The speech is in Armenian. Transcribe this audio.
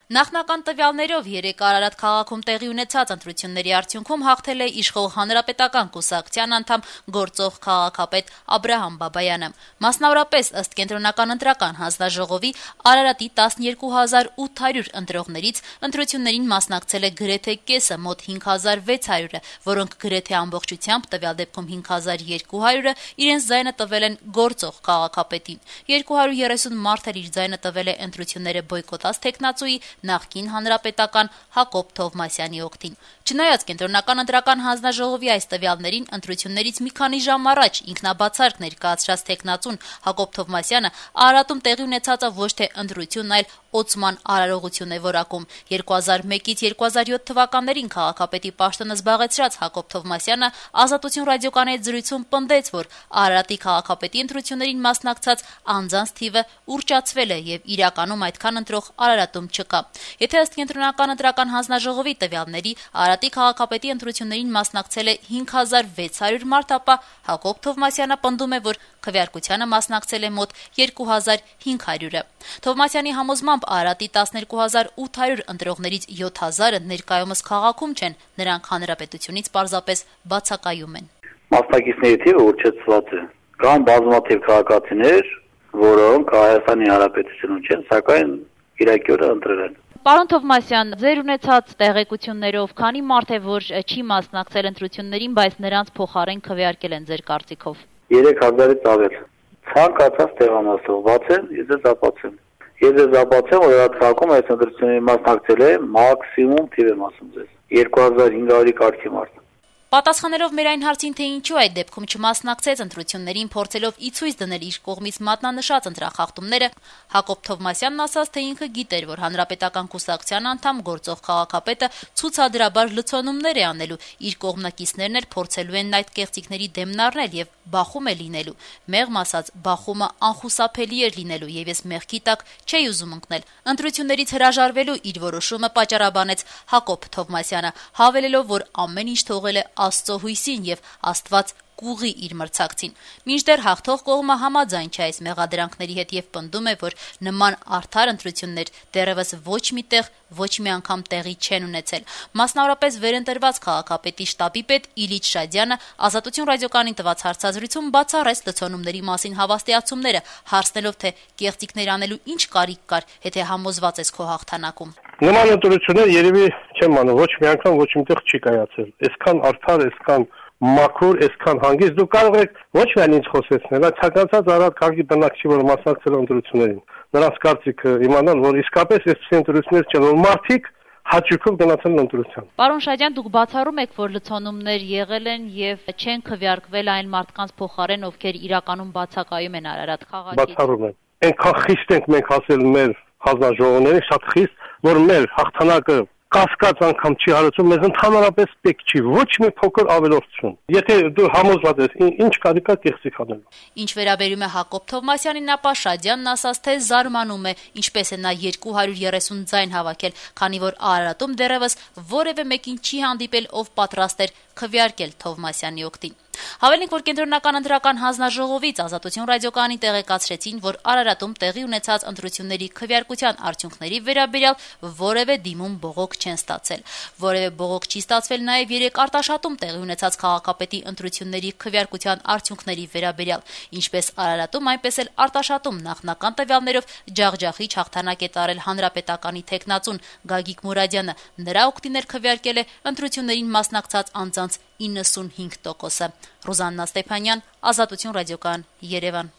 Նախնական տվյալներով երեկ Արարատ քաղաքում տեղի ունեցած ընտրությունների արդյունքում հաղթել է իշխող Հանրապետական կուսակցության անդամ գործող քաղաքապետ Աբրահամ Բաբայանը։ Մասնավորապես, ըստ Կենտրոնական ընտրական հանձնաժողովի, Արարատի 12,800 ընտրողներից ընտրություններին մասնակցել է գրեթե կեսը, մոտ 5600-ը, որոնք գրեթե ամբողջությամբ, տվյալ դեպքում 5200-ը, իրենց ձայնը տվել են գործող քաղաքապետին։ 230 մարդ էլ իր ձայնը տվել է ընտրությունները բոյկոտած թեկնածուի նախկին հանրապետական Հակոբ Թովմասյանի օգտին։ Չնայած Կենտրոնական ընտրական հանձնաժողովի այս տվյալներին, ընտրություններից մի քանի ժամ առաջ ինքնաբացարկ ներկայացրած թեկնածուն Հակոբ Թովմասյանը Արարատում տեղի ունեցածը ոչ թե ընտրություն, այլ օծման արարողություն է որակում։ 2001-ից 2007 թվականներին քաղաքապետի պաշտոնը զբաղեցրած Հակոբ Թովմասյանը Ազատություն ռադիոկայանի հետ զրույցում պնդեց, որ Արարատի քաղաքապետի ընտրություններին մասնակցած անձանց թիվը ուռճացվել է եւ իրականում այդքան ընտրող Արարատում չկա։ Եթե ըստ Կենտրոնական ընտրական հանձնաժողովի տվյալների Արարատի քաղաքապետի ընտրություններին մասնակցել է 5600 մարդ, ապա Հակոբ Թովմասյանը պնդում է, որ քվեարկությանը մասնակցել է մոտ 2500-ը։ Թովմասյանի համոզմամբ Արարատի 12800 ընտրողներից 7000-ը ներկայումս քաղաքում չեն, նրանք հանրապետությունից պարզապես բացակայում են։ Մասնակիցների թիվը ուռճացված է։ Կան բազմաթիվ քաղաքացիներ, որոնք Հայաստանի Հանրապետությունում չեն, սակայն իրակյորը ընտրել են։ Պարոն Թովմասյան, ձեր ունեցած տեղեկություններով քանի մարդ է, որ չի մասնակցել ընտրություններին, բայց նրանց փոխարեն քվեարկել են ձեր կարծիքով։ 3000-ից ավել։ Ցանկացած տեղամասով բացեմ, ես ապացեմ։ Ես ապացեմ, որ այդ քաղաքում այս ընտրությունների մասնակցել է մաքսիմում թիվ եմ ասում ձեզ 2500-ի կարգի մարդ։ Պատասխանելով մեր այն հարցին, թե ինչու այդ դեպքում չմասնակցեց ընտրություններին, փորձելով ի ցույց դնել իր կողմից մատնանշած ընտրախախտումները, Հակոբ Թովմասյանն ասաց, թե ինքը գիտեր, որ Հանրապետական կուսակցության անդամ գործող քաղաքապետը ցուցադրաբար լցոնումներ է անելու, իր կողմնակիցներն էլ փորձելու են այդ կեղծիքների դեմն առնել եւ բախում է լինելու։ Մեղմ ասած, բախումը անխուսափելի էր լինելու եւ ես մեղքի տակ չէի ուզում ընկնել։ Ընտրություններից հրաժարվելու իր որոշումը պատճառաբանեց Հակոբ Թովմասյանը, հավելելով, որ ամեն ինչ թողել է Աստծո հույսին եւ Աստված կուղի իր մրցակցին։ Մինչդեռ հաղթող կողմը համաձայն չէ այս մեղադրանքների հետ եւ պնդում է, որ նման արդար ընտրություններ դեռևս ոչ մի տեղ, ոչ մի անգամ տեղի չեն ունեցել։ Մասնավորապես վերընտրված քաղաքապետի շտաբի պետ Իլիչ Շադյանը Ազատություն ռադիոկայանին տված հարցազրույցում բացառեց լցոնումների մասին հավաստիացումները, հարցնելով, թե կեղծիքներ անելու ինչ կարիք կար, եթե համոզված ես քո հաղթանակում։ Նման ընտրություններ երևի չեմ անում, ոչ մի անգամ ոչ միտեղ չի կայացել։ Այսքան արդար, այսքան մաքուր, այսքան հանգիստ դուք կարող եք ոչ միայն ինձ խոսեցնել, այլ ցանկացած Արարատ քաղաքի բնակչի, որ մասնակցել է ընտրություններին, նրանց կարծիքը իմանալ, որ իսկապես այսպես ընտրություններ չեն, որ մարդիկ հաճույքով գնացել են ընտրության։ Պարոն Շադյան, դուք բացառում եք, որ լցոնումներ եղել են եւ չեն քվեարկվել այն մարդկանց փոխարեն, ովքեր իրականում բացակայում են Արարատ քաղաքից։ Բացառում եմ։ Այնքան խիստ ենք մենք ասել մեր հանձնաժողովներին, շատ խիստ, որ մեր հաղթանակը կասկած անգամ չի հարուցում, մեզ ընդհանրապես պետք չի ոչ մի փոքր ավելորդություն։ Եթե դու համոզված ես, ինչ կարիք կա կեղծիք անելու։ Ինչ վերաբերում է Հակոբ Թովմասյանին, ապա Շադյանն ասաց, թե զարմանում է, ինչպես է նա 230 ձայն հավաքել, քանի որ Արարատում դեռևս որևէ մեկին չի հանդիպել, ով պատրաստ էր քվեարկել Թովմասյանի օգտին։ Հավելենք, որ Կենտրոնական ընտրական հանձնաժողովից Ազատություն ռադիոկայանին տեղեկացրեցին, որ Արարատում տեղի ունեցած ընտրությունների քվեարկության արդյունքների վերաբերյալ որևէ դիմում բողոք չեն ստացել։ Որևէ բողոք չի ստացվել նաև երեք Արտաշատում տեղի ունեցած քաղաքապետի ընտրությունների քվեարկության արդյունքների վերաբերյալ, ինչպես Արարատում, այնպես էլ Արտաշատում նախնական տվյալներով ջախջախիչ հաղթանակ է տարել հանրապետականի թեկնածուն Գագիկ Մուրադյանը։ Նրա օգտին քվեարկել է ընտրություններին մասնակցած անձանց 95%-ը։ Ռուզաննա Ստեփանյան, Ազատություն ռադիոկայան, Երևան։